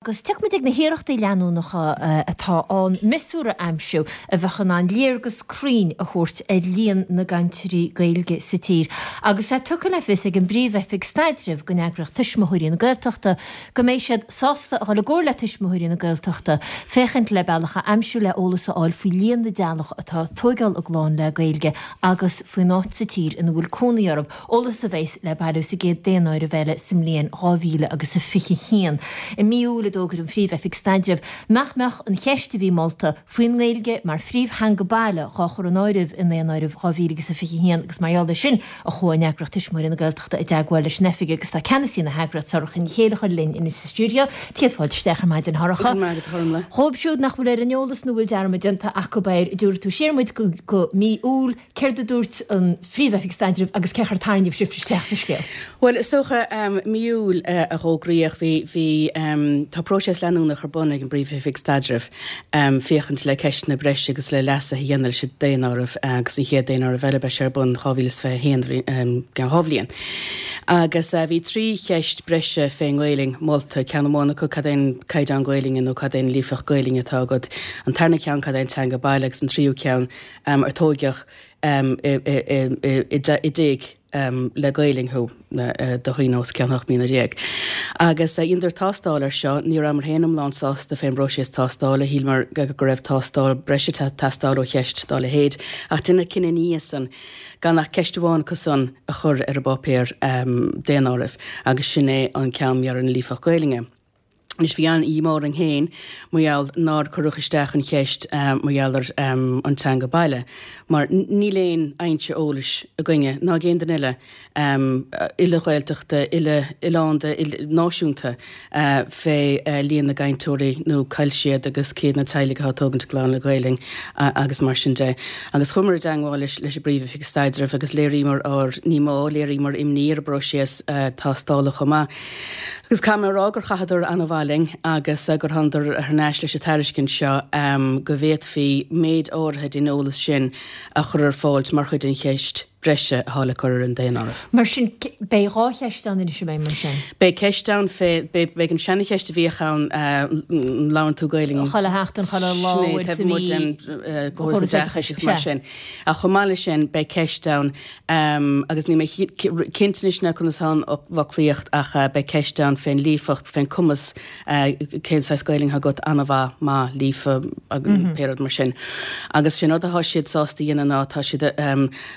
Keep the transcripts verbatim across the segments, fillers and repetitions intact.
Agus tiocfaidh muid ag na hiarrachtaí leanúnacha atá ann miosúr a aimsiú a bheadh in ann léargas cruinn a thabhairt ar líon na gcainteoirí Gaeilge sa tír. Agus é tugtha le fios ag an bPríomh-Oifig Staidrimh den eagraíocht Tuismitheoirí na Gaeltachta go mbeidh siad sásta a dhul i gcomhar le Tuismitheoirí na Gaeltachta féachaint le bealach a aimsiú le eolas a fháil faoi líon na dteaghlach atá ag tóigeáil a gclann le Gaeilge agus faoin áit sa tír ina bhfuil cónaí orthu, eolas a bheas le bailiú sa gcéad daonáireamh eile sa mbliain dhá mhíle agus a fiche haon. I mí Iúil a d'fhógair an Phríomh-Oifig Staidrimh nach mbeadh an cheist a bhí molta faoin nGaeilge mar phríomhtheanga baile dhá chur in áireamh i nDaonáireamh dhá mhíle agus a fiche haon agus mar gheall air sin a chuaigh an eagraíocht Tuismitheoirí na Gaeltachta i dteagmháil leis an oifig agus tá ceannasaí na heagraíochta Sorcha Ní Chéilleachair linn anois sa stiúideo. Céad fáilte isteach ar maidin, a Shorcha. Dhóibh siúd nach bhfuil ar an eolas nó bhfuil dearmad déanta acu air, dtabharfaidh tú siar muid go go mí Iúil, céard a dúirt an Phríomh-Oifig Staidrimh agus cén chaoi ar tarraingíodh sibh isteach sa scéal? Bhuel, is dócha, mí Iúil a fhógraíodh, bhí, bhí, tá próiseas leanúnach ar bun ag an bPríomh-Oifig Staidrimh féachaint le ceisteanna breise agus le leasuithe a dhéanamh leis an daonáireamh agus an chéad daonáireamh eile beidh sé ar bun dhá mhíle is fiche a haon, i gceann dhá bhliain. Agus bhí trí cheist breise fén nGaelainn molta, ceann amháin acu cad é an caighdeán Gaelainne nó cad é an líofacht Gaelainne atá agat, an tarna ceann cad é an teanga baile agus an tríú ceann ar tóigeadh i dtigh le Gaelainn thú do dhaoine os cionn ocht mbliana déag. Agus dheineadar tástáil air seo, ní rabhamar féin iomlán sásta fén bpróiseas tástála, shíleamar go raibh tástáil breise ag teastáil ó cheist dá leithéid, ach deineadh cinneadh ina dhiaidh san gan ach ceist amháin acu san a chur ar an bpáipéar daonáirimh agus sin é an ceann mar gheall ar an líofacht Gaelainne. Anois bhí an-dhíomá orainn féin mar gheall nár cuireadh isteach an cheist mar gheall ar an teanga baile mar níl aon fhoinse eolais againne ná ag aon duine eile, uile-Ghaeltachta, uile-oileánda, uile-náisiúnta, fé líon na gcainteoirí nó cá bhfuil siad agus cé hiad na teaghlaigh atá ag tógaint a gclann le Gaelainn agus mar sin de. Agus chuamar i dteangmháil leis an bPríomh-Oifig Staidrimh agus léiríomar ár ndíomá, léiríomar imní ar an bpróiseas tástála chomh maith. Agus caithfidh mé a rá gur chaitheadar an-mhaith linn agus gur thánadar thar n-ais leis an tairiscint seo go bhféadfaí méid áirithe den eolas sin a chur ar fáil mar chuid den cheist breise atá le cur ar an daonáireamh. Mar sin, beidh dhá cheist ann anois, an mbeidh, mar sin? Beidh ceist ann fé, beidh an seana-cheist a bhíodh ann, an labhrann tú Gaelainn? Chuile sheachtain, chuile lá, Sin é, taobh amuigh den gcóras oideachais agus mar sin. Ach chomh maith leis sin, beidh ceist ann Agus níl mé cinnte anois ná conas atá an fhoclaíocht ach beidh ceist ann fén líofacht, fén cumas, cén saghas Gaelainn atá agat, an-mhaith, maith, líofa, pé rud mar sin. Agus sin rud atá siad sásta a dhéanamh ná tá siad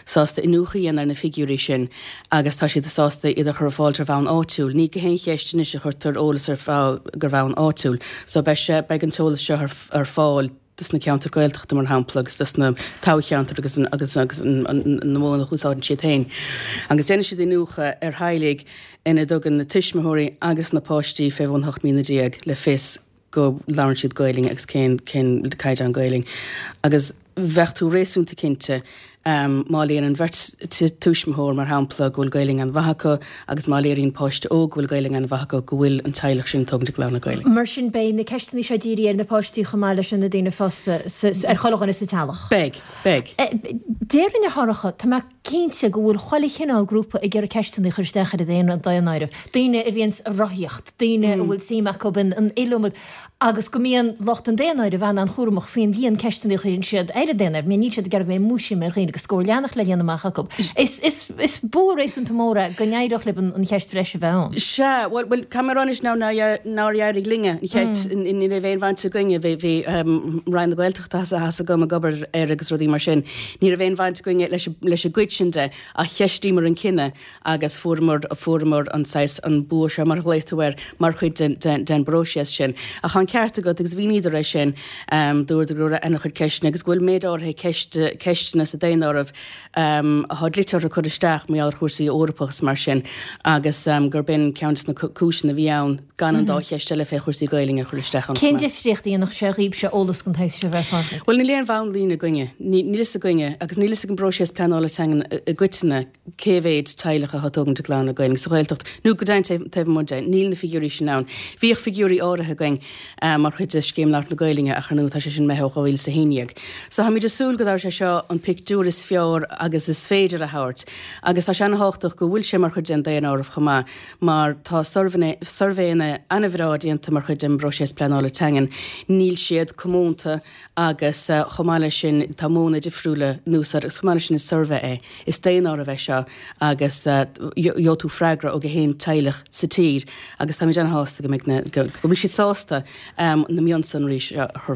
sásta iniúchadh a dhéanamh ar na figiúirí sin agus tá siad sásta iad a chur ar fáil ar bhonn áitiúil. Ní gach aon cheist anois a chuirtear eolas ar fáil ar bhonn áitiúil. So beidh sé, beidh an t-eolas seo ar fáil. dos na ceantair Gaeltachta mar shampla agus dos na toghcheantair agus agus agus an na modhanna a úsáideann siad féin. Agus déanfaidh siad iniúchadh ar theaghlaigh ina dtugann na tuismitheoirí agus na páistí fé bhun hocht mbliana déag le fios go labhrann siad Gaelainn agus cén cén caighdeán Gaelainn. Agus bheadh tú réasúnta cinnte Má léiríonn an bheirt tuismitheoir, mar shampla, go bhfuil Gaelainn an-mhaith acu agus má léiríonn páiste óg go bhfuil Gaelainn an-mhaith acu, go bhfuil an teaghlach sin ag tógaint a gclann le Gaelainn. Mar sin, beidh na ceisteanna seo dírithe ar na páistí chomh maith leis na daoine fásta, ar chuile dhuine sa teaghlach. Beidh. Beidh. Déarfainn, a Shorcha, tá mé cinnte go bhfuil chuile chineál grúpa ag iarraidh ceisteanna a chur isteach ar an daonáireamh. Daoine a bhíonns ag rothaíocht, daoine a bhfuil suim acu in an iliomad agus go mbíonn lucht an daonáirimh an-an-chúramach faoin líon ceisteanna a chuireann siad ar an daonáireamh, mar níl siad ag iarraidh go mbeidh múisiam ar dhaoine agus scór leathanach le líonadh amach acu. Is, is, is bua réasúnta mór é go n-éireodh libh an, an cheist bhreise a bheith ann. Sea, bhuel, bhuel, caithfidh mé a rá anois ná, nár éirigh linne an cheist, ní raibh aon bhaint againne, bhí, bhí Roinn na Gaeltachta tá a fhios agam ag obair air agus rudaí mar sin, ní raibh aon bhaint againne leis, leis an gcuid sin de ach cheistíomar an cinneadh agus fuaireamar, fuaireamar an saghas, an bua seo mar a ghlaoigh tú air, mar chuid den, den, den bpróiseas sin. Ach tá an ceart agat agus mhíníodar é sin, dúradar go raibh an-chuid ceisteanna agus go bhfuil méid áirithe ceist, ceisteanna sa daonáireamh atá dlite orthu cur isteach mar gheall ar chúrsaí Eorpach is mar sin agus gurb in ceann de na cúiseanna a bhí ann gan an dá cheist eile fé chúrsaí Gaelainne a chur isteach ann chomh Cén maith. difríocht a dhéanfadh sé dhaoibhse eolas den tsaghas seo a bheith ar fáil? Bhuel, níl aon bhonnlíne againne. Níl fhios againne agus níl fhios ag an bpróiseas pleanála teanga againn i gcoitinne cé mhéid teaghlach atá ag tógaint a gclann le Gaeilge sa Ghaeltacht nó go deimhin taobh amuigh de, níl na figiúirí sin ann. Bhíodh figiúirí áirithe againn mar chuid de Scéim Labhairt na Gaeilge ach ar ndóigh tá sé sin imithe ó dhá mhíle is a haon déag. So táimid ag súil go dtabharfaidh sé seo an pictiúr is fearr agus is féidir a thabhairt agus tá sé ana-thábhachtach go bhfuil sé mar chuid den daonáireamh chomh maith mar tá suirbhéanna ana-bhreá déanta mar chuid den bpróiseas pleanála teangan, níl siad comónta agus chomh maith leis sin tá modhanna difriúla in úsáid agus chomh maith leis sin is suirbhé é, is daonáireamh é seo agus gheobhaidh tú freagra ó gach aon teaghlach sa tír agus táimid ana-shásta go mbeidh na, go bhfuil siad sásta na mionsonraí seo a chur